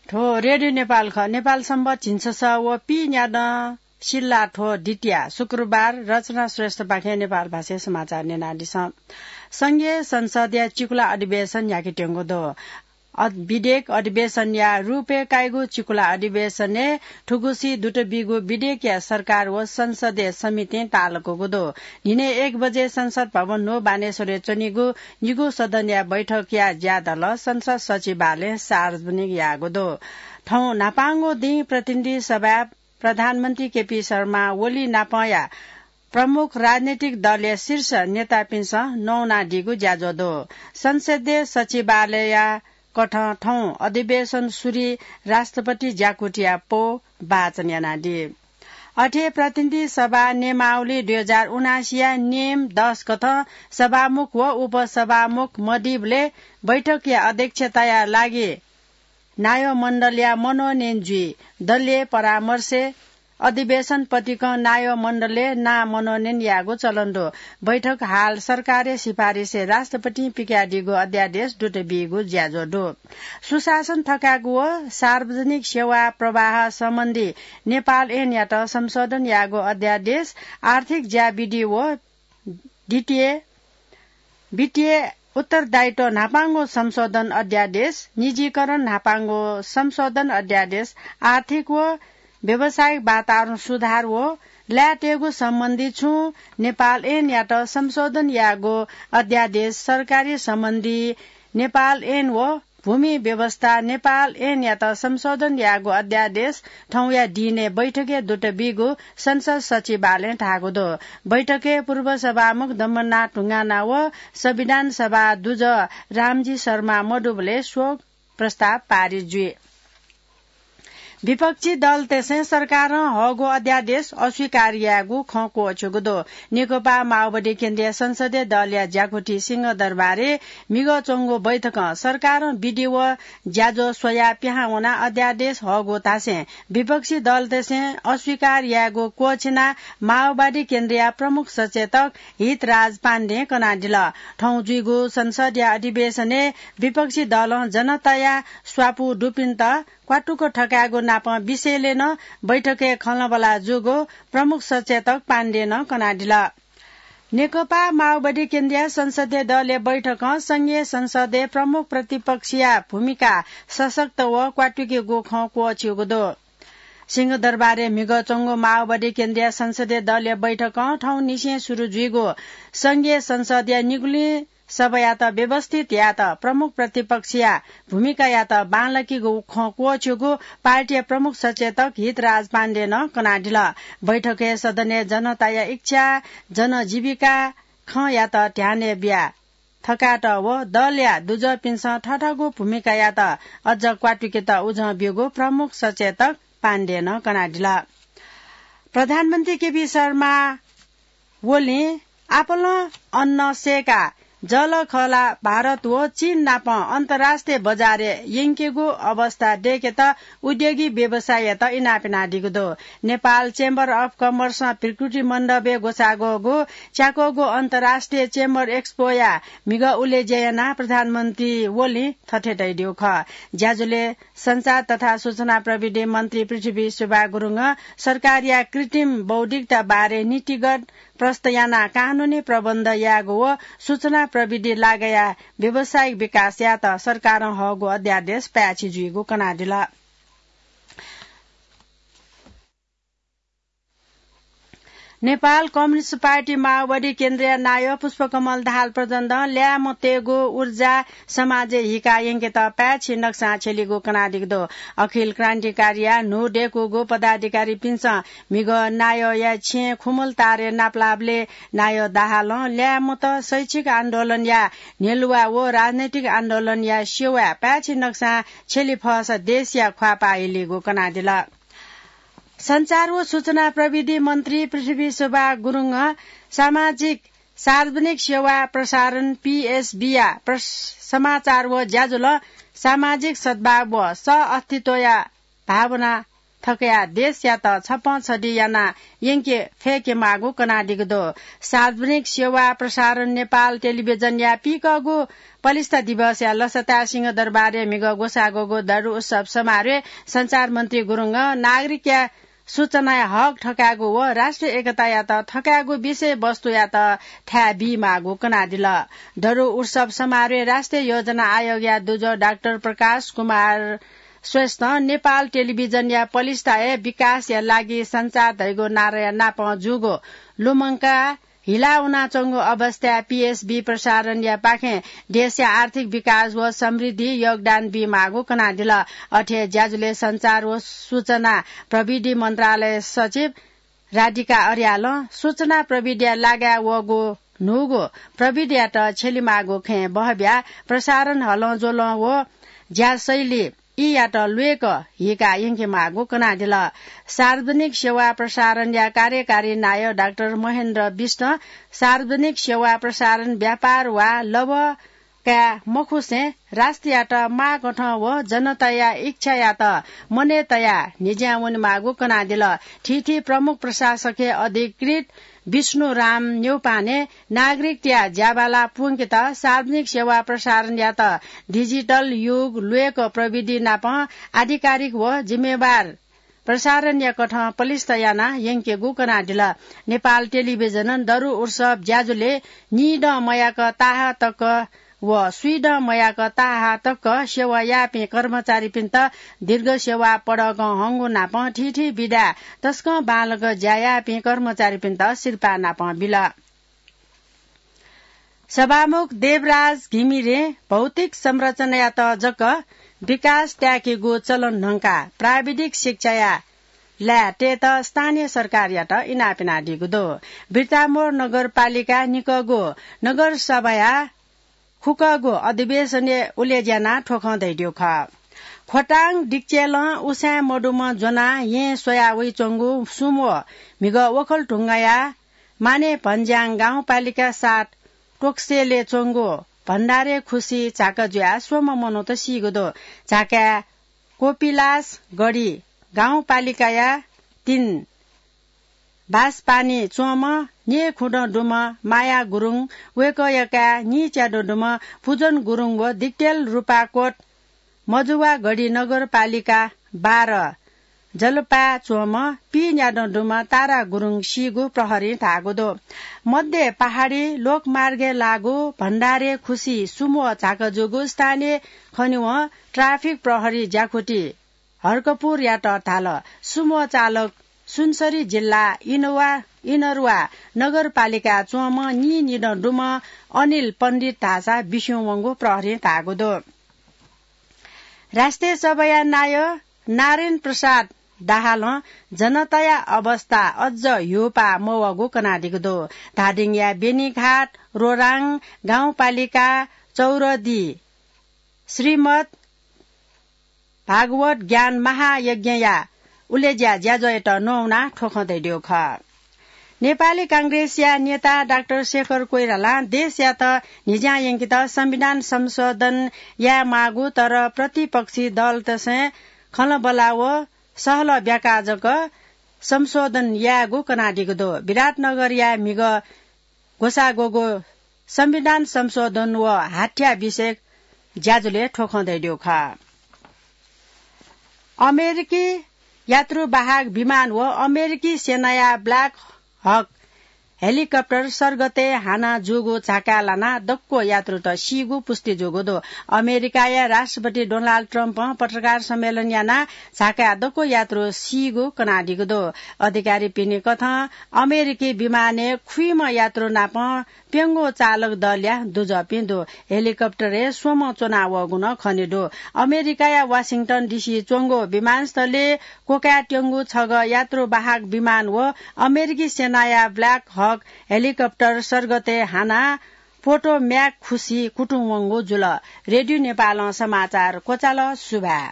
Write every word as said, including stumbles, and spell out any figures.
थ्व रेडियो नेपाल खः। नेपाल संवत झिंछसः व पीन्यादँ सिल्लाथ्व द्वितीया शुक्रबार रचना श्रेष्ठपाखें नेपाल भाषाय् समाचार न्यनादिसँ। संघीय संसदया चिकुला अधिवेशन न्ह्याकेत्यंगु दु। अध-, विधेयक अधिवेशनया रूपय् काइगु चिकुला अधिवेशनय् थुगुसी दुत बीगु विधेयकया सरकार व संसदीय समितिं तालकूगु दु। न्हिनय् एक बजे संसद भवन न्हू बानेश्वरय् च्वनीगु निगू सदनया बैठकया ज्यादल संसद सचिवालयं सार्वजनिक याःगु दु। थौं न्हापांगु दिं प्रतिनिधि सभाय् प्रधानमन्त्री केपी शर्मा ओली नापंया प्रमुख राजनैतिक दलया शीर्ष नेतापिन्सं नवानादीगु ज्याझ्वः दु। संसदीय सचिवालयया कथं थौं अधिवेशन सुरुइ राष्ट्रपति ज्याकुथिया पौ वाचन यानादी। अथे प्रतिनिधि सभा नियमावली दुई हजार उनासीया नियम दस कथं सभामुख व उपसभामुख मदीबलय् बैठकया अध्यक्षताया लागि नायव मण्डलया मनोनयन जुइ। दलीय परामर्शय् अधिवेशन पतिकं नायव मण्डलय् नां मनोनयन यायेगु चलन दु। बैठक हाल सरकारया सिफारिसय् राष्ट्रपतिं पिकयादीगु अध्यादेश दुत बीगु ज्याझ्वः दु। सुशासन थकायेगु व सार्वजनिक सेवा प्रवाह सम्बन्धी नेपाल ऐनयात संशोधन यायेगु अध्यादेश, आर्थिक ज्याविधि व द्वितीय वित्तीय उत्तरदायित्व न्हापांगु संशोधन अध्यादेश, निजीकरण न्हापांगु संशोधन अध्यादेश, आर्थिक व व्यावसायिक वातावरण सुधार व लायेतयेगु सम्बन्धी छुं नेपाल ऐनयात संशोधन यायेगु अध्यादेश, सरकारी सम्बन्धी नेपाल ऐन व भूमि व्यवस्था नेपाल ऐनयात संशोधन यायेगु अध्यादेश थौंया दिनय् बैठकय् दुत बीगु संसद सचिवालयं धाःगु दु। बैठकय् पूर्व सभामुख दम्बनाथ ढुङ्गाना व संविधान सभा दुजः रामजी शर्मा मदुबलय् शोक प्रस्ताव पारित जुइ। विपक्षी दलतय्सं सरकारं हःगु अध्यादेश अस्वीकार यायेगु खँ क्वःछ्यूगु दु। नेकपा माओवादी केन्द्रीय संसदीय दलया ज्याकुथि सिंहदरबारय् म्हिगः च्वंगु बैठकं सरकारं विधि व ज्याझ्वः स्वयाः पिहां वनाः अध्यादेश हःगु धासें विपक्षी दलतय्सं अस्वीकार यायेगु क्वःछिनाः माओवादी केन्द्रीय प्रमुख सचेतक हितराज पाण्डें कनादिल। थौं जुइगु संसदया अधिवेशनय् विपक्षी दलं जनताया स्वापू दुपिन्त क्वातुक थकायेगु नापं विषयलय् नं बैठकय् खँल्हाबल्हा जूगु प्रमुख सचेतक पाण्डेनं कनादिल। नेकपा माओवादी केन्द्रीय संसदीय दलया बैठकं संघीय संसदय् प्रमुख प्रतिपक्षया भूमिका सशक्त व क्वातुकेगु खँ क्वःछ्यूगु दु। सिंहदरबारय् म्हिगः च्वंगु माओवादी केन्द्रीय संसदीय दलया बैठकं थौंनिसें सुरु जुइगु संघीय संसदया निगुलिं सभायात व्यवस्थित यायेत प्रमुख प्रतिपक्षया भूमिकायात बांलाकेगु खँ क्वःछ्यूगु पार्टीया प्रमुख सचेतक हितराज पाण्डेनं कनादिल। बैठकय् सदनय् जनताया इच्छा, जनजीविका खँयात ध्यानय् बिया थकायेत व दलया दुजःपिन्सं थःथःगु भूमिकायात अझ क्वातुकेत उजं ब्यूगु प्रमुख सचेतक पाण्डेनं कनादिल। प्रधानमन्त्री केपी शर्मा ओलीं आपालं अन्न सय्काः जःलाखःला भारत व चीन नाप अन्तर्राष्ट्रिय बजारय् यंकेगु अवस्था दय्केत उद्योगी व्यवसायीयात इनाप यानादीगु दु। नेपाल Chamber of Commerce-ं प्रकृति मण्डपय् ग्वसाः ग्वःगु च्याक्वःगु अन्तर्राष्ट्रिय Chamber Expo-या म्हिगः उलेज्या यानाः प्रधानमन्त्री ओलीं थथे धयादीगु खः। ज्याझ्वलय् सञ्चार तथा सूचना प्रविधि मन्त्री पृथ्वी सुब्बा गुरुङं सरकारया कृत्रिम बौद्धिकता बारे नीतिगत प्रस्त यानाः कानूनी प्रबन्ध यायेगु व सूचना प्रविधि लागाया व्यावसायिक विकास यायेत सरकारं हःगु अध्यादेश पाय्छि जुइगु कनादिल। नेपाल कम्युनिस्ट पार्टी माओवादी केन्द्रीय नायः पुष्पकमल दाहाल प्रचण्डं ल्याय्म्हतय्गु ऊर्जा समाजय् हिकाः यंकेत पाय्छि नक्सां छ्यलीगु कनादीगु दु। अखिल क्रान्तिकारीया न्हू दय्कूगु पदाधिकारीपिन्सं म्हिगः नायःया छेँय् खुमल तारय् नापलाःबलय् नायः दाहालं ल्याय्म्हत शैक्षिक आन्दोलनया न्ह्यलुवा व राजनैतिक आन्दोलनया सेवाय् पाय्छि नक्सां छ्यली फःसा देशया ख्वाःपाः हिलीगु कनादिल। सञ्चार व सूचना प्रविधि मन्त्री पृथ्वी सुब्बा गुरुङं सामाजिक सार्वजनिक सेवा प्रसारण, पीएसबीया प्रस-, समाचार व ज्याझ्वलं सामाजिक सद्भाव व सह-अस्तित्वया भावना थकया देशयात छप्पँ छधि याना यंके फय्केमाःगु कनादीगु दु। सार्वजनिक सेवा प्रसारण नेपाल टेलिभिजनया पीकःगु पलिस्था दिवसया लसताय् सिंहदरबारय् म्हिगः ग्वसाः ग्वःगु दरु उत्सव समारोहय् सञ्चार मन्त्री गुरुङं नागरिकया सूचनाया हक थकायेगु व राष्ट्रिय एकतायात थकायेगु विषयवस्तुयात थाय् बीमाःगु कनादिल। दरु उत्सव समारोहय् राष्ट्रिय योजना आयोगया दुजः डाक्टर प्रकाश कुमार श्रेष्ठं नेपाल टेलिभिजनया पलिस्था हे विकासया लागि सञ्चार धइगु नाराया नापं जूगु लुमंकाः हिला वनाच्वंगु अवस्थाय् पीएसबी प्रसारणया पाखें देशया आर्थिक विकास व समृद्धि योगदान बीमाःगु कनादिल। अथे ज्याझ्वलय् सञ्चार व सूचना प्रविधि मन्त्रालय सचिव राधिका अर्यालं सूचना प्रविधिया लागाय् वःगु न्हूगु प्रविधियात छ्यलिमाःगु खँय् बहब्याः प्रसारण हलंज्वलं व ज्याशैली ईयात ल्वय्क हीका यंकेमाःगु कनादिल। सार्वजनिक सेवा प्रसारणया कार्यकारी नायः डाक्टर महेन्द्र बिष्टं सार्वजनिक सेवा प्रसारण व्यापार वा लभ काये मखुसें राष्ट्रयात माःकथं व जनताया इच्छायात मनय् तयाः न्हिज्यां वनेमाःगु कनादिल। थीथी प्रमुख प्रशासकय् अधिकृत विष्णुराम न्यौपाने नागरिकतया ज्याबाला प्वंकेत सार्वजनिक सेवा प्रसारणयात डिजिटल युग ल्वय्क प्रविधि नाप आधिकारिक व जिम्मेवार प्रसारणया कथं पलिस्था याना यंकेगु कनादिल। नेपाल टेलिभिजनं दरु उत्सव ज्याझ्वलय् निदँ मयाक ताहा तक व स्वीदँ मयाक ताहा तक सेवा याःपिं कर्मचारीपिन्त दीर्घ सेवा पदकं हंगु नाप थीथी विधाय् तसकं बांलाक ज्या याःपिं कर्मचारीपिन्त सिरपाः नाप बिल। सभामुख देवराज घिमिरें भौतिक संरचनायात जक विकास त्याकेगु चलन न्हंकाः प्राविधिक शिक्षाया लाय् तयेत स्थानीय सरकारयात इनाप यानादीगु दु। बिर्तामोर नगरपालिका निकःगु नगरसभाया खुकःगु अधिवेशनय् उलेज्यानाः थ्व खँ धयादीगु खः। खोटाङ डिक्चेलं उसाँय् मदुम्ह ज्वनाः येँ स्वया वइच्वंगु सुम्ह म्हिगः वखल ढुङ्गाया माने भन्ज्याङ गाउँपालिका सात टोक्सेलय् च्वंगु भण्डारे खुसी झाका जुयाः स्वम्ह मनूत सीगु दु। झाकाय् कोपिलास गढी गाउँपालिकाया तीन बासपानी च्वंम्ह न्येखुदँ दुम्ह माया गुरुङ, वय्कःया काय् नीच्यादँ दुम्ह पुजन गुरुङ व दिक्तेल रुपाकोट मजुवागढी नगरपालिका बाह्र जलपाय् च्वंम्ह पीन्यादँ दुम्ह तारा गुरुङ सीगु प्रहरीं धाःगु दु। मध्य पहाडी लोकमार्गय् लाःगु भण्डारे खुसी सुम्ह झाका जूगु स्थानीय खनेवं ट्राफिक प्रहरी ज्याकुथि हर्कपुरयात धाल। सुम्ह चालक सुनसरी जिल्ला इनवा, इनरुवा नगरपालिकाय् च्वंम्ह नीनिदँ दुम्ह अनिल पण्डित धाःसा बिस्युं वंगु प्रहरीं धाःगु दु। राष्ट्रिय सभाया नायः नारायण प्रसाद दाहालं जनताया अवस्था अझ ह्यूपाः मवःगु कनादीगु दु। धादिङया बेनीघाट रोराङ गाउँपालिका चौरदी श्रीमद् भागवत ज्ञान महायज्ञया उलेज्या ज्याझ्वःयात न्ववानाः थ्व खँ धयादीगु खः। नेपाली कांग्रेसया नेता डाक्टर शेखर कोइरालां देशयात न्हिज्यां यंकेत संविधान संशोधन यायेमाःगु, तर प्रतिपक्षी दलतय्सं खँल्हाबल्हा व सहलह ब्याकाः जक संशोधन यायेगु कनादीगु दु। विराटनगरया म्हिगः ग्वसाः ग्वःगु संविधान संशोधन व हाथ्या विषयक ज्याझ्वलय् थ्व खँ धयादीगु खः। अमेरिकी यात्रुवाहक विमान व अमेरिकी सेनाया ब्ल्याक हक हेलिकप्टर सर्गतय् हाना जूगु झाकाय् लानाः दक्व यात्रुत सीगु पुष्टि जूगु दु। अमेरिकाया राष्ट्रपति डोनाल्ड ट्रम्पं पत्रकार सम्मेलन यानाः झाकाय् दक्व यात्रु सीगु कनादीगु दु। अधिकारीपिनि कथं अमेरिकी विमानय् खुइम्ह यात्रु नाप प्यंगू चालक दलया दुजःपिं दु। हेलिकप्टरय् स्वम्ह च्वनावःगु नं खनेदु। अमेरिकाया वाशिंटन डिसी च्वंगु विमानस्थलय् क्वकाय् त्यंगु छगः यात्रुवाहक विमान व अमेरिकी सेनाया ब्ल्याक हक हेलिकप्टर सर्गतय् हानाः पोटोम्याक खुसी कुतुं वंगु जुल। रेडियो नेपालं समाचार क्वचाल। सुभाय्।